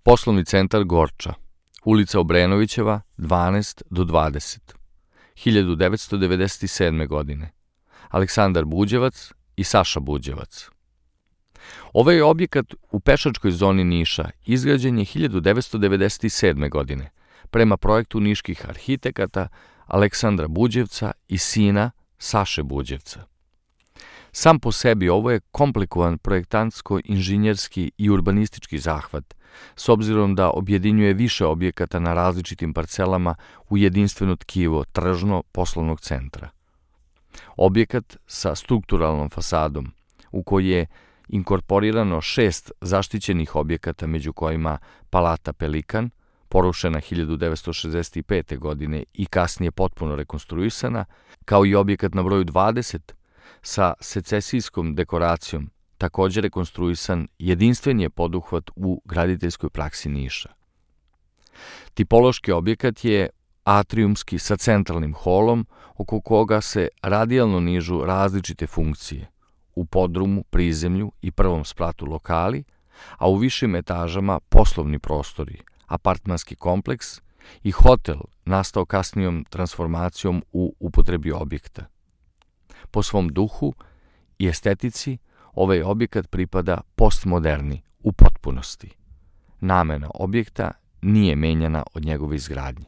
Poslovni centar Gorča, ulica Obrenovićeva, 12-20, 1997. godine. Aleksandar Buđevac i Saša Buđevac. Ovaj objekat u pešačkoj zoni Niša izgrađen je 1997. godine prema projektu niških arhitekata Aleksandra Buđevca i sina Saše Buđevca. Sam po sebi ovo je komplikovan projektantsko-inženjerski i urbanistički zahvat, s obzirom da objedinjuje više objekata na različitim parcelama u jedinstveno tkivo tržno-poslovnog centra. Objekat sa strukturalnom fasadom, u koji je inkorporirano 6 zaštićenih objekata, među kojima Palata Pelikan, porušena 1965. godine i kasnije potpuno rekonstruisana, kao i objekat na broju 20 sa secesijskom dekoracijom, također rekonstruisan, jedinstven je poduhvat u graditeljskoj praksi Niša. Tipološki objekat je atrijumski sa centralnim holom, oko koga se radijalno nižu različite funkcije, u podrumu, prizemlju i prvom spratu lokali, a u višim etažama poslovni prostori, apartmanski kompleks i hotel nastao kasnijom transformacijom u upotrebi objekta. Po svom duhu i estetici, ovaj objekat pripada postmoderni u potpunosti. Namena objekta nije menjana od njegove izgradnje.